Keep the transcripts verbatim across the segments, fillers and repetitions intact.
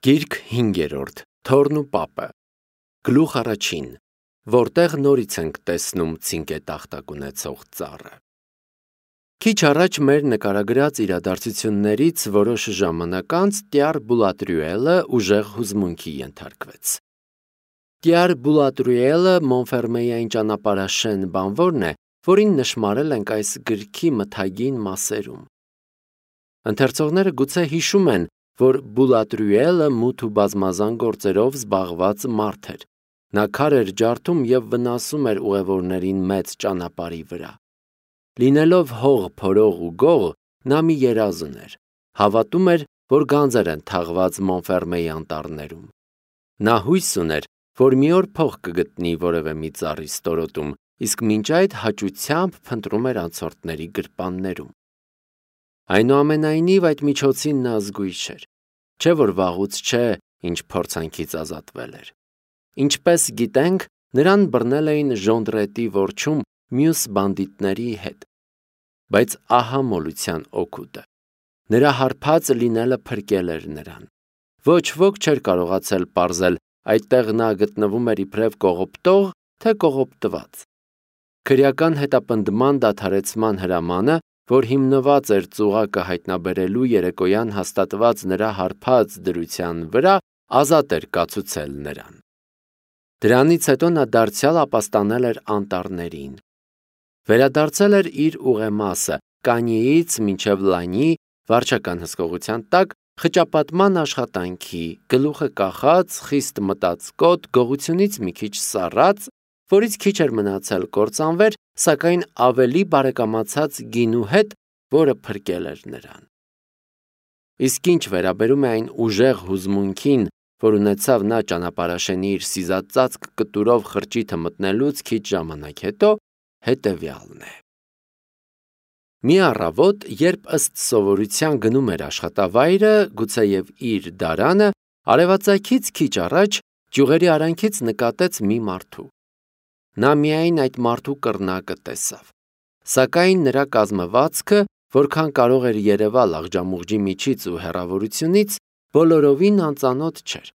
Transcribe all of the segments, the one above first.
Գիրք հինգերորդ. Թորն ու պապը. Գլուխ առաջին, որտեղ նորից ենք տեսնում ցինկետախտակ ունեցող ծառը։ Քիչ առաջ մեր նկարագրած իրադարձություններից որոշ ժամանակ անց Տյար Բուլատրյուելը ուժեղ հուզմունքի ենթարկվեց։ Տյար Բուլատրյուելը Մոնֆերմեյային ճանապարհաշեն բանվորն է, որին նշմարել ենք այս գրքի մթագին մասերում։ Ընթերցողները գուցե հիշում են, որ Բուլատրյուելը մութ ու բազմազան գործերով զբաղված մարդ էր։ Նա քար էր ջարդում և վնասում էր ուղևորներին մեծ ճանապարհի վրա։ Լինելով հող փորող ու գող, նա մի երազ ուներ։ Հավատում էր, որ գանձեր են թաղված Մոնֆերմեի անտառներում։ Նա հույս ուներ, որ մի օր փող կգտնի որևէ մի ծառի ստորոտում, իսկ մինչ այդ հաճությամբ փնտրում էր անցորդների գրպաններում։ Այնուամենայնիվ այդ միջոցին նա զգույշ էր, չէ որ վաղուց չէ, ինչ փորձանքից ազատվել էր։ Ինչպես գիտենք, նրան բռնել էին Ժոնդրետի որջում մյուս բանդիտների հետ։ Բայց ահա մոլության օգուտը։ Նրա հարբած լինելը փրկել էր նրան։ Ոչ ոք չէր կարողացել պարզել այդտեղ նա գտնվում էր իբրև կողոպտող, թե կողոպտված։ Քրեական հետապնդման դադարեցման հրամանը, որ հիմնված էր ծուղակը հայտնաբերելու երեկոյան հաստատված նրա հարբած դրության վրա, ազատ էր կացուցել նրան։ Դրանից հետո նա դարձյալ ապաստանել էր անտառներին։ Վերադարձել էր իր ուղեմասը, Կանիից մինչև Լանյի վարչական հսկողության տակ խճապատման աշխատանքի, գլուխը կախած, խիստ մտածկոտ, գողությունից մի քիչ սառած, որից քիչ էր մնացել կործանվեր, սակայն ավելի բարեկամացած գինու հետ, որը փրկել էր նրան։ Իսկ ինչ վերաբերում է այն ուժեղ հուզմունքին, որ ունեցավ նա ճանապարհաշենի իր սիզածածկ կտուրով խրճիթը մտնելուց քիչ ժամանակ հետո, հետևյալն է։ Մի առավոտ, երբ ըստ սովորության գնում էր աշխատավայրը, գուցեև իր դարանը, արևածագից քիչ առաջ ճյուղերի արանքից նկատեց մի մարդու։ Նա միայն այդ մարդու կռնակը տեսավ, սակայն նրա կազմվածքը, որքան կարող էր երևալ աղջամուղջի միջից ու հեռավորությունից, բոլորովին անծանոթ չէր։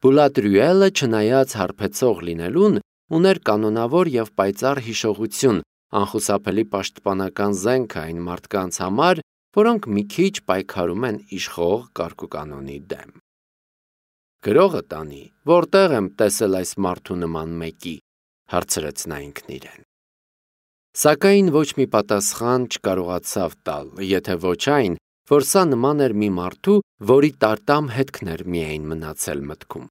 Բուլատրյուելը, չնայած հարբեցող լինելուն, ուներ կանոնավոր և պայծառ հիշողություն, անխուսափելի պաշտպանական զենք այն մարդկանց համար, որոնք մի քիչ պայքարում են իշխող կարգուկանոնի դեմ։ Գրողը տանի, որտեղ եմ տեսել այս մարդու նման մեկի, հարցրեց նա ինքն իրեն։ Սակայն ոչ մի պատասխան չկարողացավ տալ, եթե ոչ այն, որ սա նման էր մի մարդու, որի տարտամ հետքն էր միայն մնացել մտքում։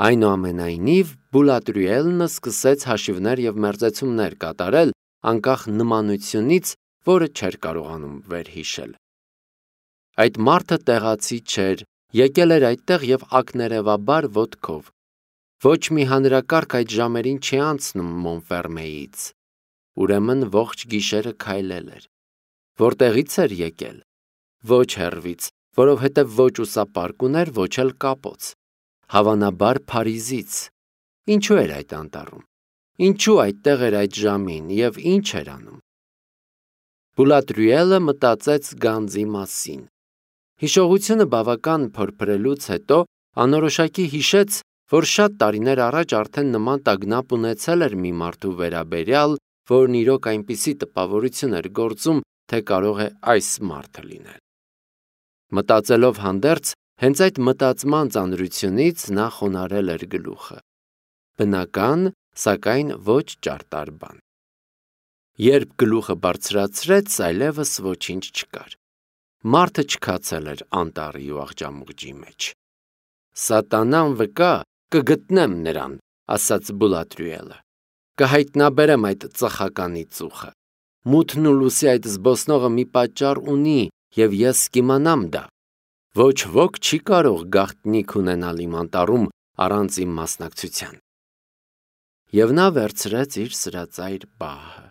Այնուամենայնիվ, Բուլատրյուելը սկսեց հաշիվներ և մերձեցումներ կատարել, անկախ նմանությունից, որը չէր կարողանում վերհիշել։ Այդ մարդը տեղացի չէր, եկել էր այդտեղ և ակներևաբար ոտքով։ Ոչ մի հանրակարգ այդ ժամերին չի անցնում Մոնֆերմեից։ Ուրեմն ողջ գիշերը քայլել էր։ Որտեղից էր եկել։ Ոչ հեռվից, որովհետև ոչ ուսապարկ ուներ, ոչ էլ կապոց։ Հավանաբար Փարիզից։ Ինչու էր այդ անտառում։ Ինչու այդտեղ էր այդ ժամին և ինչ էր անում։ Բուլատրյուելը մտածեց գանձի մասին։ Հիշողությունը բավական փորփրելուց հետո անորոշակի հիշեց, որ շատ տարիներ առաջ արդեն նման տագնապ ունեցել էր մի մարդու վերաբերյալ, որն իրոք այնպիսի տպավորություն էր գործում, թե կարող է այս մարդը լինել։ Մտածելով հանդերձ, հենց այդ մտածման ծանրությունից նա խոնարհել էր գլուխը։ Բնական, սակայն ոչ ճարտար բան։ Երբ գլուխը բարձրացրեց, այլևս ոչինչ չկար։ Մարդը չքացել էր անտառի ու աղջամուղջի մեջ։ Սատանան վկա, կգտնեմ նրան, ասաց Բուլատրյուելը։ Կհայտնաբերեմ այդ ծխականի ծուխը։ Մութն ու լուսի այդ զբոսնողը մի պատճառ ունի, և ես կիմանամ դա։ Ոչ ոք չի կարող գաղտնիք ունենալ իմ անտառում առանց իմ մասնակցության։ Եվ նա վերցրեց իր սրածայր բահը։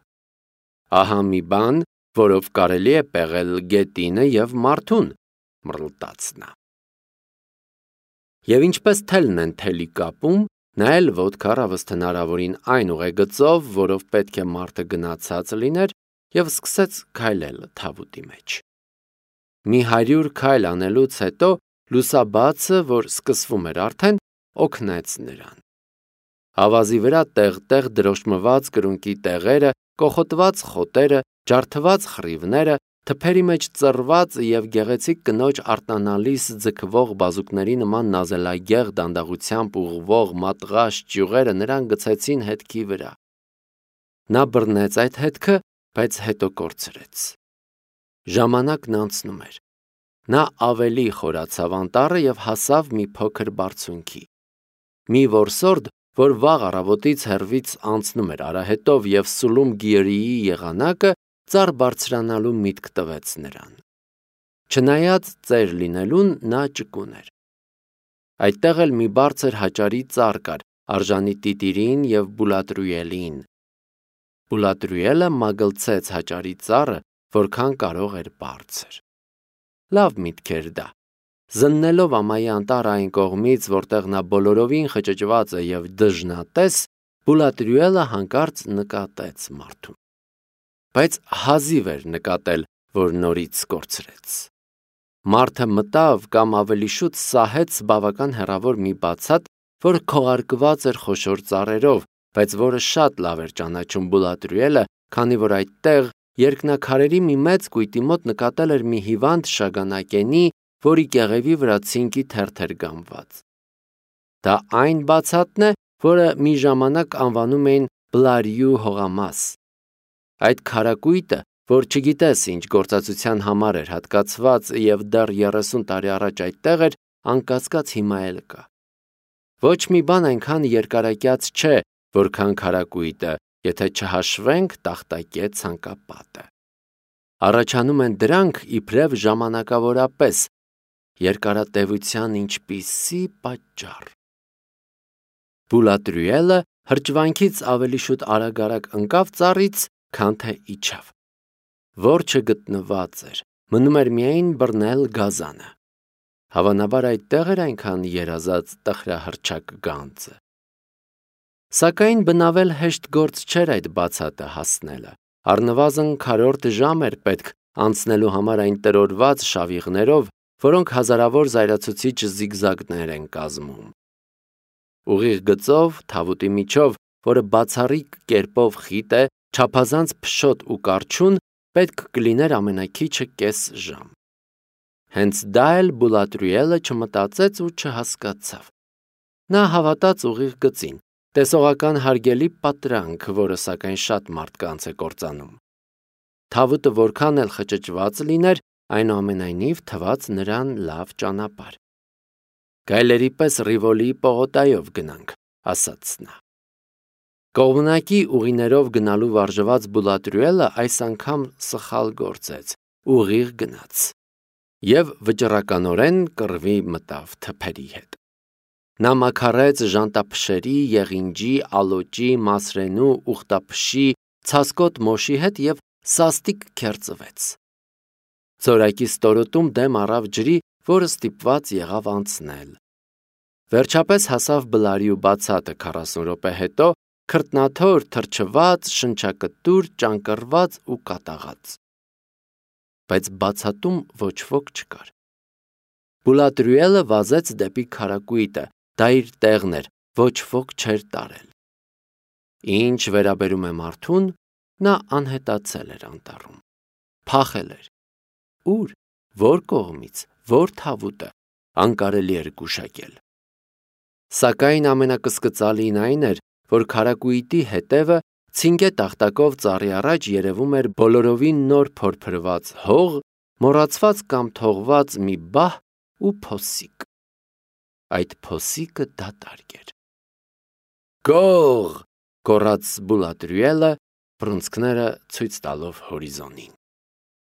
Ահա մի բան, որով կարելի է պեղել գետինը և մարդուն, մռլտաց նա։ Եվ ինչպես թելն են թելի կապում, նա էլ ոտքը առավս հնարավորին այն ուղեգծով, որով պետք է մարդը գնացած լիներ, և սկսեց քայլել թավուտի մեջ։ Մի հարյուր քայլ անելուց հետո Լուսաբացը, որ սկսվում էր արդեն, օգնեց նրան։ Ավազի վրա տեղ-տեղ դրոշմված կրունկի տեղերը, կոխոտված խոտերը, ջարդված խռիվները, թփերի մեջ ծռված և գեղեցիկ կնոջ արտանալիս ձգվող բազուկների նման նազելագեղ դանդաղությամբ ուղղվող մատղաշ ճյուղերը նրան գցեցին հետքի վրա։ Նա բռնեց այդ հետքը, բայց հետո կորցրեց։ Ժամանակն անցնում էր։ Նա ավելի խորացավ անտառը և հասավ մի փոքր բարձունքի։ Մի որսորդ, որ վաղ առավոտից հեռվից անցնում էր արահետով և սուլում գիրիի եղանակը, ծառ բարձրանալու միտք տվեց նրան։ Չնայած ծեր լինելուն, նա ճկուն էր։ Այդտեղ էլ մի բարձր հաճարի ծառ կար, արժանի տիտիրին և Բուլատրուելին։ Բուլատրուելը մագլցեց հաճարի ծառը, որքան կարող էր բարձր։ Լավ միտք էր դա։ Զննելով ամայի անտառը այն կողմից, որտեղ նա բոլորովին խճճված է և դժնատես, Բուլատրուելը հանկարծ նկատեց մարդուն։ Բայց հազիվ էր նկատել, որ նորից կորցրեց։ Մարդը մտավ կամ ավելի շուտ սահեց բավական հեռավոր մի բացատ, որ քողարկված էր խոշոր ծառերով, բայց որը շատ լավ էր ճանաչում Բուլատրուելը, քանի որ այդտեղ երկնաքարերի մի մեծ կույտի մոտ նկատել էր մի հիվանդ շագանակենի, որի կեղևի վրա ցինկի թերթ էր գամված։ Դա այն բացատն է, որը մի ժամանակ անվանում էին Բլարյու հողամաս։ Այդ քարակույտը, որ չգիտես ինչ գործածության համար էր հատկացված և դեռ երեսուն տարի առաջ այդտեղ էր, անկասկած հիմա էլ կա։ Ոչ մի բան այնքան երկարակյաց չէ, որքան քարակույտը, եթե չհաշվենք տախտակե ցանկապատը։ Առաջանում են դրանք իբրև ժամանակավորապես, երկարատևության ինչպիսի պատճառ։ Բուլատրուելը հրճվանքից ավելի շուտ արագ-արագ ընկավ ծառից, քան թե իջավ։ Որջը գտնված էր, մնում էր միայն բռնել գազանը։ Հավանաբար այդտեղ էր այնքան երազած տխրահռչակ գանձը։ Սակայն բնավել հեշտ գործ չէր այդ բացատը հասնելը։ Առնվազն քառորդ ժամ էր պետք անցնելու համար այն տրորված շավիղներով, որոնք հազարավոր զայրացուցիչ զիգզագներ են կազմում։ Ուղիղ գծով, թավուտի միջով, որը բացառիկ կերպով խիտ է, չափազանց փշոտ ու կառչուն, պետք կլիներ ամենաքիչը կես ժամ։ Հենց դա էլ Բուլատրուելը չմտածեց ու չհասկացավ։ Նա հավատաց ուղիղ գծին, տեսողական հարգելի պատրանք, որը սակայն շատ մարդկանց է կործանում։ Թավուտը որքան էլ խճճված լիներ, այնուամենայնիվ թվաց նրան լավ ճանապարհ։ Գայլերի պես Ռիվոլիի պողոտայով գնանք, ասաց նա։ Կողմնակի ուղիներով գնալու վարժված Բուլատրուելը այս անգամ սխալ գործեց, ուղիղ գնաց և վճռականորեն կռվի մտավ թփերի հետ։ Նա մաքարեց ժանտափշերի, եղինջի, ալոճի, մասրենու, ուխտափշի, ցասկոտ մոշի հետ և սաստիկ քերծվեց։ Ձորակի ստորոտում դեմ առավ ջրի, որը ստիպված եղավ անցնել։ Վերջապես հասավ Բլարյու բացատը քառասուն րոպե հետո, քրտնաթոր, թրջված, շնչակտուր, ճանկռված ու կատաղած։ Բայց բացատում ոչ ոք չկար։ Բուլատրուելը վազեց դեպի քարակույտը, դա իր տեղն էր, ոչ ոք չէր տարել։ Ինչ վերաբերում է մարդուն, նա անհետացել էր անտառում։ Փախել էր։ Ուր, որ կողմից, որ թավուտը, անկարելի էր գուշակել։ Սակայն ամենակսկծալին այն էր, որ քարակույտի հետևը ցինկե տախտակով ծառի առաջ երևում էր բոլորովին նոր փորփրված հող, մոռացված կամ թողված մի բահ ու փոսիկ։ Այդ փոսիկը դատարկ էր։ Գող, գոռաց Բուլատրուելը, բռունցքները ցույց տալով հորիզոնին։